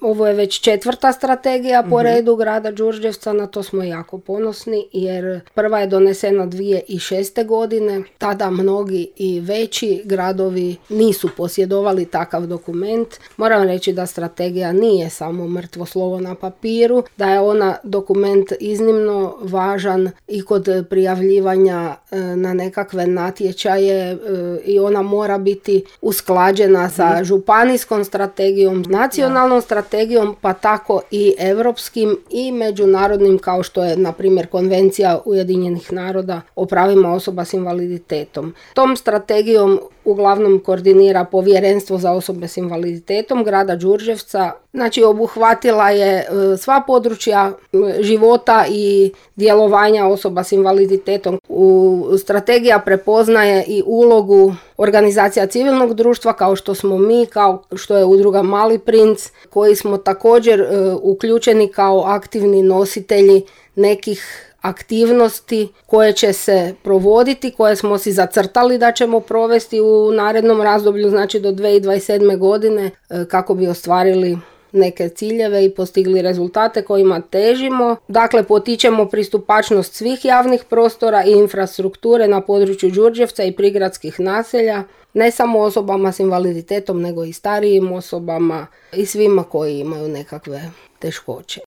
Ovo je već 4. strategija po redu grada Đurđevca, na to smo jako ponosni jer prva je donesena 2006. godine. Tada mnogi i veći gradovi nisu posjedovali takav dokument. Moram reći da strategija nije samo mrtvo slovo na papiru, da je ona dokument iznimno važan i kod prijavljivanja na nekakve natječaje i ona mora biti usklađena sa županijskom strategijom, nacionalnom strategijom, pa tako i europskim i međunarodnim, kao što je na primjer Konvencija Ujedinjenih naroda o pravima osoba s invaliditetom. Tom strategijom uglavnom koordinira Povjerenstvo za osobe s invaliditetom grada Đurđevca. Znači obuhvatila je sva područja života i djelovanja osoba s invaliditetom. Strategija prepoznaje i ulogu organizacija civilnog društva kao što smo mi, kao što je udruga Mali princ, koji smo također uključeni kao aktivni nositelji nekih aktivnosti koje će se provoditi, koje smo si zacrtali da ćemo provesti u narednom razdoblju, znači do 2027. godine, kako bi ostvarili neke ciljeve i postigli rezultate kojima težimo. Dakle, potičemo pristupačnost svih javnih prostora i infrastrukture na području Đurđevca i prigradskih naselja, ne samo osobama s invaliditetom, nego i starijim osobama i svima koji imaju nekakve teškoće.